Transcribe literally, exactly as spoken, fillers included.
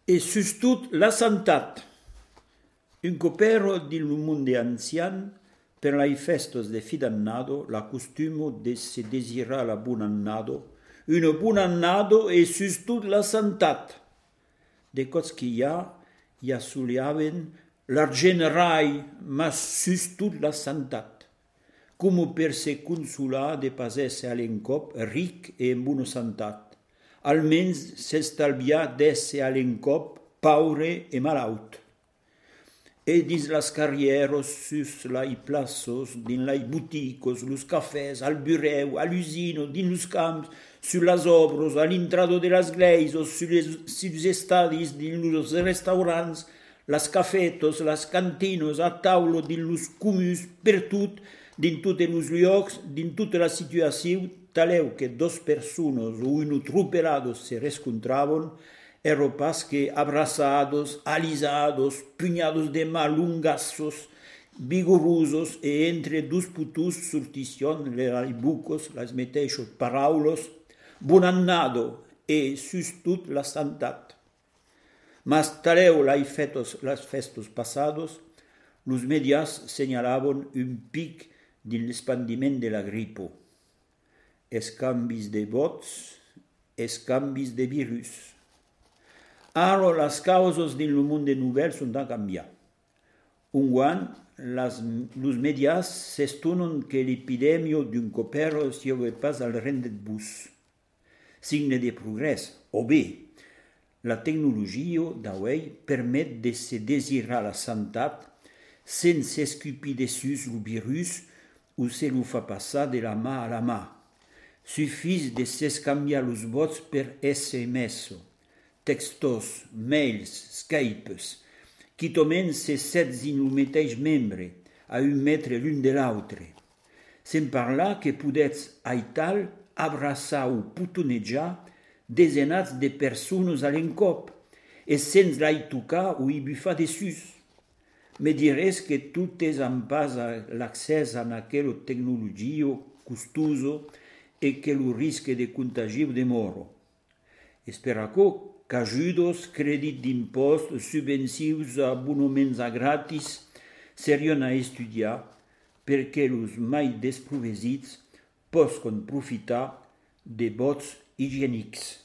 e sustot la santat. Un copero del monde ancian, per lai festos de fi d'annado, la costumo de se desirar la bon annado, un bon annado e sustot la santat. De cots que hi ha, hi assoliaven l'argent rai, ma sustot la santat. Como per se consolar de pas esse alencop ric e en bona santat. Almens s'estalviar d'esse alencop paure e malaut. E dins las carrieros, sus lai plaços, din lai buticos, los cafès, al bureu, al usino, din los camps, sur las obros, al intrado de las gleisos, sur los estadis, din los restaurants, las cafetos, las cantinos, a taulo, din los comus, per tot, din totes los llocs, din tota la situació, taleu que dos persones o uno tropelados se rescontraven, ero pas que abraçados, alisados, punhados de malungazos, vigorosos, e entre dos putus sorticion le bucos, las meteixos paraulos, bon annado e sustot la santat. Mas taleu lai fetos las festos passados, los medias señalaven un pic din l'expandiment de la gripo. Escambis de vots, escambis de virus. Ara las causes din lo monde nouvel sunt a canviar. Un guan, las, los medias s'estonen que l'epidèmia d'un copero si ave pas al rendet bus. Signe de progrés, o bé, la tecnologia d'avui permet de se desirar la santat sense escupir dessus lo virus ou se lo fa passar de la mà a la mà. Suffis de s'escambiar los vots per S M S, textos, mails, Skypes, qui tomen se sets in lo mateix membre, a un metre l'un de l'altre. Sem parlar que podetz aital abraçar ou putonejar desenats de persones a l'encop, e sens lai tocar ou i bufar dessus. Me dirès que tot és en pas l'accés a aquella tecnologia costosa e que lo risque de contagio de moro. Esperaco qu'ajudos, crèdit d'impost, subvencions a abonaments a gratis serion a estudiar perquè los mai desprovesits posquen profitar de bots higienics.